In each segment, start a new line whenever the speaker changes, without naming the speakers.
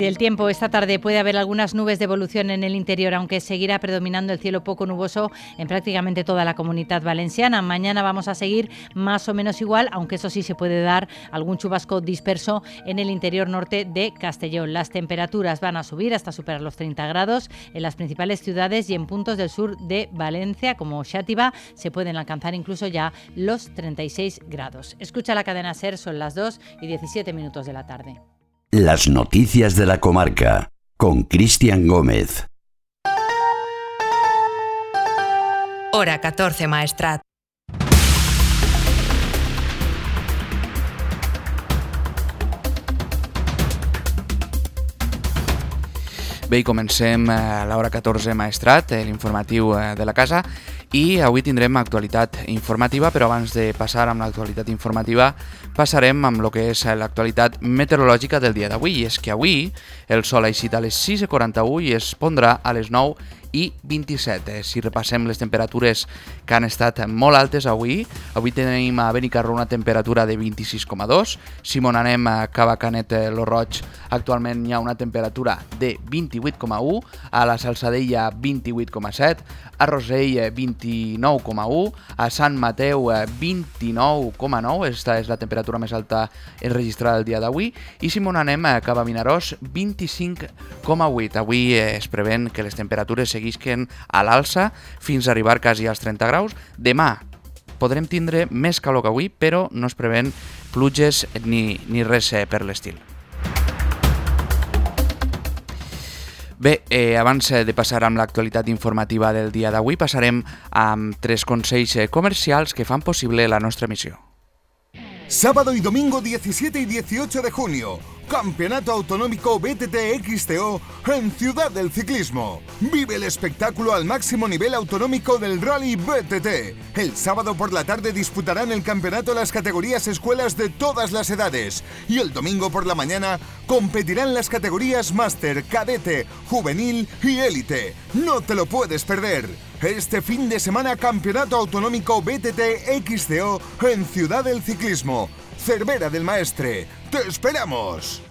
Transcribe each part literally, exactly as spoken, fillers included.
El tiempo, esta tarde puede haber algunas nubes de evolución en el interior, aunque seguirá predominando el cielo poco nuboso en prácticamente toda la Comunidad Valenciana. Mañana vamos a seguir más o menos igual, aunque eso sí se puede dar algún chubasco disperso en el interior norte de Castellón. Las temperaturas van a subir hasta superar los treinta grados en las principales ciudades y en puntos del sur de Valencia, como Xàtiva, se pueden alcanzar incluso ya los treinta y seis grados. Escucha la cadena SER, son las dos y diecisiete minutos de la tarde.
Las noticias de la comarca, con Cristian Gómez.
Hora catorce, Maestrat.
Bé, i comencem a l'hora catorze, Maestrat, l'informatiu de la casa, i avui tindrem actualitat informativa, però abans de passar amb l'actualitat informativa passarem amb el que és l'actualitat meteorològica del dia d'avui. I és que avui el sol ha eixit a les sis i quaranta-u i es pondrà a les nou i vint-i-set. Si repassem les temperatures que han estat molt altes avui, avui tenim a Benicarló una temperatura de vint-i-sis coma dos, si mon anem a Cava Canet lo Roig actualment hi ha una temperatura de vint-i-vuit coma u, a la Salzadella vint-i-vuit coma set, a Rosell vint-i-nou coma u, a Sant Mateu vint-i-nou coma nou, aquesta és la temperatura més alta enregistrada el dia d'avui, i si mon anem a Cava Vinaròs vint-i-cinc coma vuit. Avui es prevén que les temperatures seguisquen a l'alça fins a arribar quasi als trenta graus. Demà podrem tindre més calor que avui, però no es prevén pluges ni, ni res per l'estil. Bé, eh, abans de passar amb l'actualitat informativa del dia d'avui, passarem amb tres consells comercials que fan possible la nostra emissió.
Sábado y domingo diecisiete y dieciocho de junio, Campeonato Autonómico B T T X T O en Ciudad del Ciclismo. Vive el espectáculo al máximo nivel autonómico del Rally B T T. El sábado por la tarde disputarán el campeonato las categorías escuelas de todas las edades. Y el domingo por la mañana competirán las categorías Máster, Cadete, Juvenil y Élite. No te lo puedes perder. Este fin de semana Campeonato Autonómico B T T X T O en Ciudad del Ciclismo. Cervera del Maestre. ¡Te esperamos!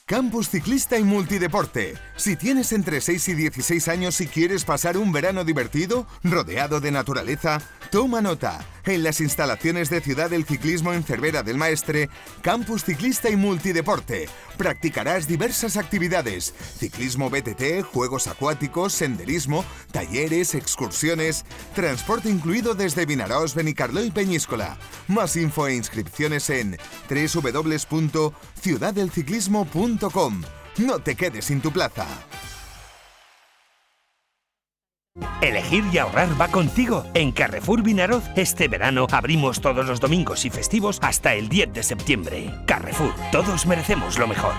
Campus Ciclista y Multideporte. Si tienes entre seis y dieciséis años y quieres pasar un verano divertido, rodeado de naturaleza, toma nota. En las instalaciones de Ciudad del Ciclismo en Cervera del Maestre, Campus Ciclista y Multideporte. Practicarás diversas actividades: ciclismo B T T, juegos acuáticos, senderismo, talleres, excursiones, transporte incluido desde Vinaròs, Benicarló y Peñíscola. Más info e inscripciones en doble u doble u doble u punto ciudad del ciclismo punto com. No te quedes sin tu plaza.
Elegir y ahorrar va contigo. En Carrefour Vinaròs este verano abrimos todos los domingos y festivos hasta el diez de septiembre. Carrefour, todos merecemos lo mejor.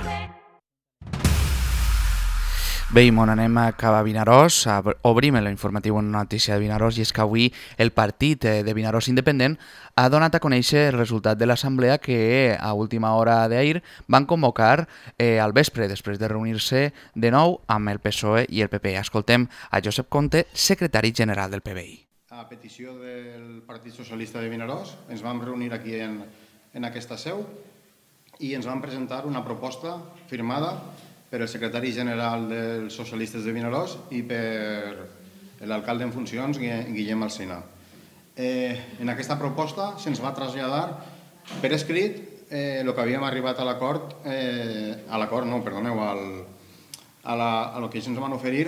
Bé, i mon anem a Cava Vinaròs, obrim l'informatiu en una notícia de Vinaròs, i és que avui el partit de Vinaròs Independent ha donat a conèixer el resultat de l'assemblea que a última hora d'ahir van convocar eh, al vespre, després de reunir-se de nou amb el P S O E i el P P. Escoltem a Josep Conte, secretari general del P B I.
A petició del Partit Socialista de Vinaròs ens vam reunir aquí en, en aquesta seu i ens van presentar una proposta firmada per el secretari general dels socialistes de Vinaròs i per l'alcalde en funcions, Guillem Alsina. Eh, en aquesta proposta se'ns va traslladar per escrit eh, el que havíem arribat a l'acord, eh, a l'acord, no, perdoneu, al, a, la, a lo que ells ens van oferir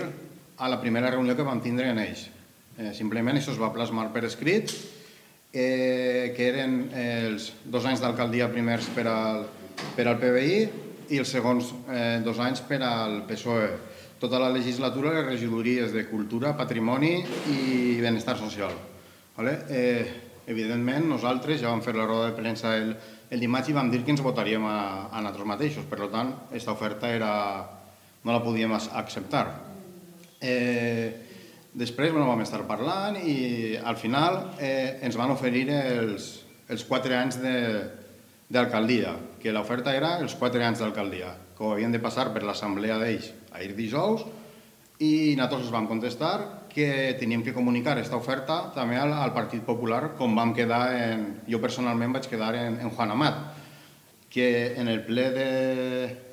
a la primera reunió que vam tindre en ells. Eh, simplement això es va plasmar per escrit, eh, que eren els dos anys d'alcaldia primers per al, per al P B I i els segons eh, dos anys per al P S O E. Tota la legislatura les regidories de Cultura, Patrimoni i Benestar Social. Vale? Eh, evidentment, nosaltres ja vam fer la roda de premsa el, el dimarts i vam dir que ens votaríem a, a nosaltres mateixos. Per tant, aquesta oferta era, no la podíem acceptar. Eh, després bueno, vam estar parlant i al final eh, ens van oferir els, els quatre anys de d'alcaldia, que l'oferta era els quatre anys d'alcaldia, que havien de passar per l'assemblea d'ells ahir dijous, i nosaltres els vam contestar que teníem que comunicar aquesta oferta també al, al Partit Popular, com vam quedar en... Jo personalment vaig quedar en, en Juan Amat. que en el ple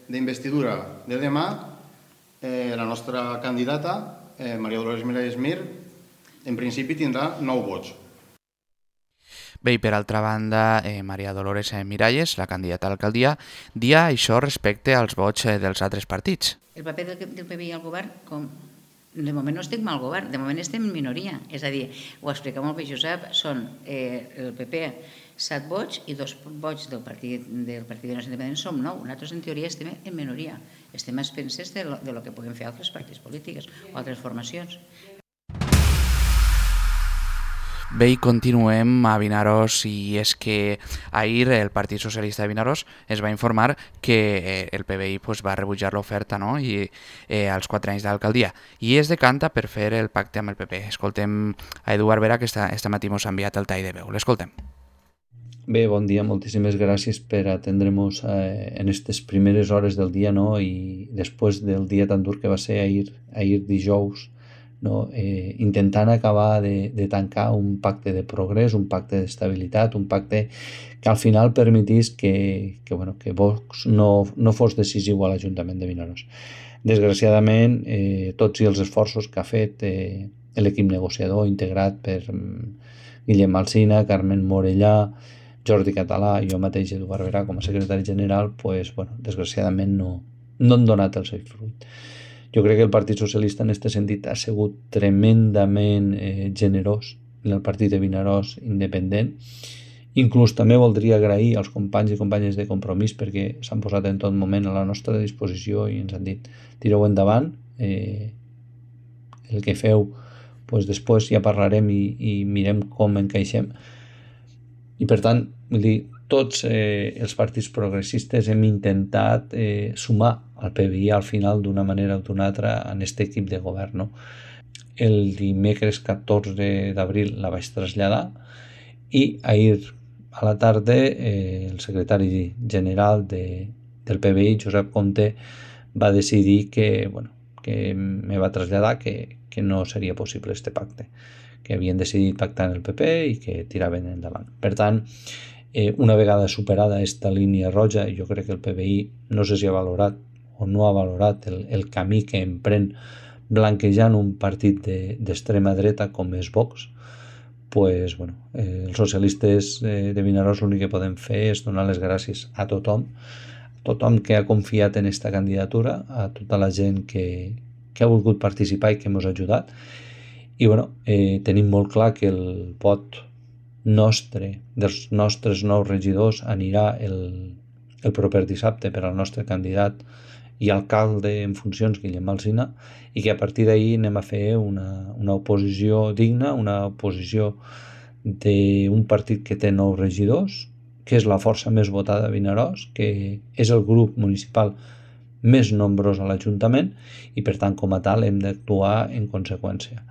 d'investidura de, de demà eh, la nostra candidata, eh, Maria Dolores Miralles Mir, en principi tindrà nou vots.
Bé, i per altra banda, eh, Maria Dolores Miralles, la candidata a l'alcaldia, dia això respecte als vots eh, dels altres partits.
El paper del, del P B I al govern, com de moment no estem al govern, de moment estem en minoria. És a dir, ho explica molt bé Josep, són eh, el P P set vots i dos vots del Partit del Partit de Nacions Independents som nou. Nosaltres, en teoria, estem en minoria. Estem a expenses de lo, de lo que puguem fer altres partits polítics o altres formacions.
Bé, i continuem a Vinaròs, i és que ahir el Partit Socialista de Vinaròs es va informar que el P B I pues, va rebutjar l'oferta, no? I eh, als quatre anys d'alcaldia, i es decanta per fer el pacte amb el P P. Escoltem a Eduard Vera, que esta, esta matí mos ha enviat el tall de veu. L'escoltem.
Bé, bon dia, moltíssimes gràcies per atendre-nos eh, en aquestes primeres hores del dia, no? I després del dia tan dur que va ser ahir, ahir dijous, no? eh, intentant acabar de, de tancar un pacte de progrés, un pacte d'estabilitat, un pacte que al final permetís que, que, bueno, que Vox no, no fos decisiu a l'Ajuntament de Vinaròs. Desgraciadament, eh, tots i els esforços que ha fet eh, l'equip negociador integrat per um, Guillem Alsina, Carmen Morellà, Jordi Català i jo mateix, Eduard Vera, com a secretari general, pues, bueno, desgraciadament no, no han donat el seu fruit. Jo crec que el Partit Socialista en aquest sentit ha sigut tremendament eh, generós en el Partit de Vinaròs independent. Inclús també voldria agrair als companys i companyes de Compromís perquè s'han posat en tot moment a la nostra disposició i ens han dit tireu endavant, eh, el que feu pues, després ja parlarem i, i mirem com encaixem. I per tant, vull dir, tots eh, els partits progressistes hem intentat eh, sumar al P B I al final d'una manera o d'una altra en aquest equip de govern. No? El dimecres catorze d'abril la vaig traslladar i ahir a la tarda eh, el secretari general de, del P B I, Josep Comte, va decidir que, bueno, que me va traslladar que, que no seria possible este pacte, que havien decidit pactar en el P P i que tiraven endavant. Per tant, eh, una vegada superada aquesta línia roja, jo crec que el P B I no sé si ha valorat o no ha valorat el, el camí que emprèn blanquejant un partit d'extrema de, dreta com és Vox, pues, bueno, eh, els socialistes eh, de Vinaròs l'únic que podem fer és donar les gràcies a tothom, a tothom que ha confiat en aquesta candidatura, a tota la gent que, que ha volgut participar i que ens ha ajudat. I bueno, eh, tenim molt clar que el vot nostre, dels nostres nous regidors, anirà el, el proper dissabte per al nostre candidat i alcalde en funcions, Guillem Alsina, i que a partir d'ahir anem a fer una, una oposició digna, una oposició d'un partit que té nou regidors, que és la força més votada a Vinaròs, que és el grup municipal més nombrós a l'Ajuntament i per tant com a tal hem d'actuar en conseqüència.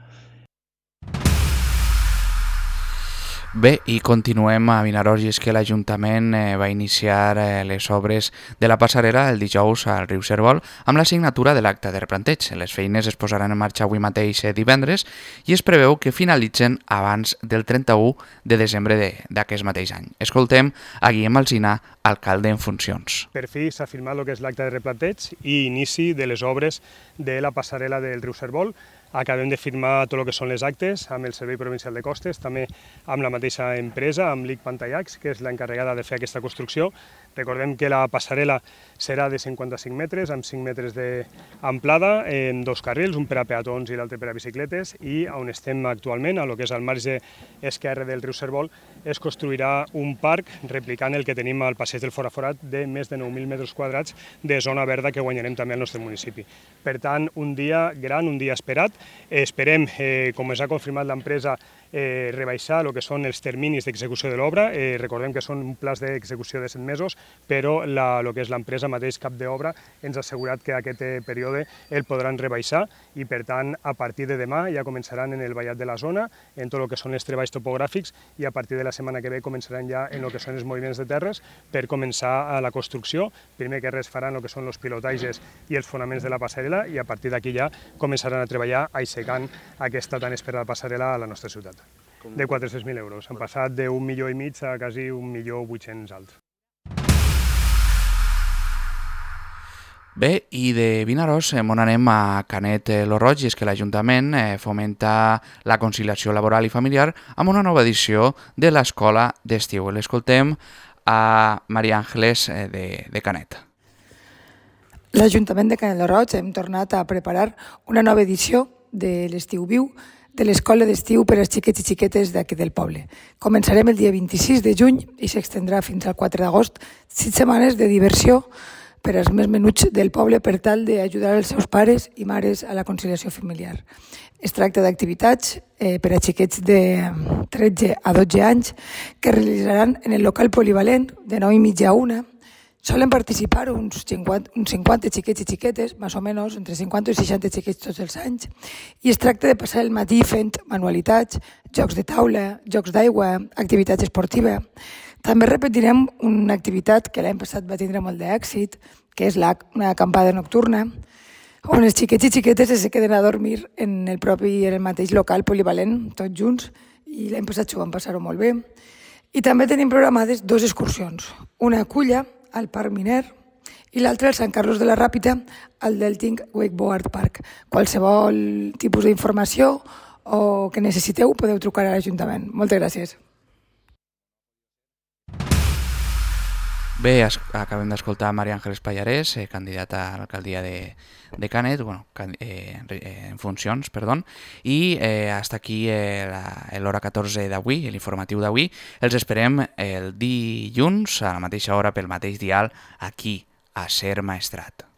Bé, i continuem a Vinaròs, i és que l'Ajuntament eh, va iniciar eh, les obres de la passarel·la el dijous al riu Cérvol amb la signatura de l'acte de replanteig. Les feines es posaran en marxa avui mateix eh, divendres i es preveu que finalitzen abans del trenta-u de desembre d'aquest mateix any. Escoltem a Guillem Alsina, alcalde en funcions.
Per fi s'ha firmat el que és l'acte de replanteig i inici de les obres de la passarel·la del riu Cérvol. Acabem de firmar tot el que són les actes amb el Servei Provincial de Costes, també amb la mateixa empresa, amb l'I C Pantallacs, que és l'encarregada de fer aquesta construcció. Recordem que la passarel·la serà de cinquanta-cinc metres, amb cinc metres d'amplada, en dos carrils, un per a peatons i l'altre per a bicicletes, i on estem actualment, a lo que és al marge esquerre del riu Cérvol, es construirà un parc replicant el que tenim al passeig del Foraforat de més de nou mil metres quadrats de zona verda que guanyarem també al nostre municipi. Per tant, un dia gran, un dia esperat. Esperem, eh, com ens ha confirmat l'empresa, eh, rebaixar el que són els terminis d'execució de l'obra. Eh, recordem que són un pla d'execució de set mesos, però la, el que és l'empresa mateix cap d'obra ens ha assegurat que aquest període el podran rebaixar i, per tant, a partir de demà ja començaran en el vallat de la zona, en tot el que són els treballs topogràfics, i a partir de la setmana que ve començaran ja en el que són els moviments de terres per començar a la construcció. Primer que res faran el que són els pilotatges i els fonaments de la passarel·la i a partir d'aquí ja començaran a treballar aixecant aquesta tan esperada passarel·la a la nostra ciutat. De quatre-cents mil euros. Han passat d'un milió i mig a quasi un milió vuit-cents alts.
Bé, i de Vinaròs eh, on anem a Canet eh, lo Roig, i és que l'Ajuntament eh, fomenta la conciliació laboral i familiar amb una nova edició de l'Escola d'Estiu. L'escoltem a Maria Àngeles eh, de, de Canet.
L'Ajuntament de Canet lo Roig hem tornat a preparar una nova edició de l'Estiu Viu de l'Escola d'Estiu per als xiquets i xiquetes d'aquí del poble. Començarem el dia vint-i-sis de juny i s'extendrà fins al quatre d'agost, sis setmanes de diversió per als més menuts del poble per tal d'ajudar els seus pares i mares a la conciliació familiar. Es tracta d'activitats eh, per a xiquets de tretze a dotze anys que realitzaran en el local polivalent de nou i mitja a una. Solen participar uns cinquanta, uns cinquanta xiquets i xiquetes, més o menys, entre cinquanta i seixanta xiquets tots els anys, i es tracta de passar el matí fent manualitats, jocs de taula, jocs d'aigua, activitats esportives. També repetirem una activitat que l'any passat va tindre molt d'èxit, que és la, una acampada nocturna, on els xiquets i xiquetes es queden a dormir en el propi, en el mateix local polivalent, tots junts, i l'any passat s'ho van passar-ho molt bé. I també tenim programades dues excursions, una a Culla, al Parc Miner, i l'altra al Sant Carlos de la Ràpita, al Delting Wakeboard Park. Qualsevol tipus d'informació o que necessiteu podeu trucar a l'Ajuntament. Moltes gràcies.
Bé, acabem d'escoltar Maria Àngeles Pallarès, eh, candidata a l'alcaldia de, de Canet, bueno, eh, en funcions, perdó, i eh, hasta aquí eh, l'hora catorze d'avui, l'informatiu d'avui. Els esperem el dilluns a la mateixa hora pel mateix dial aquí, a Ser Maestrat.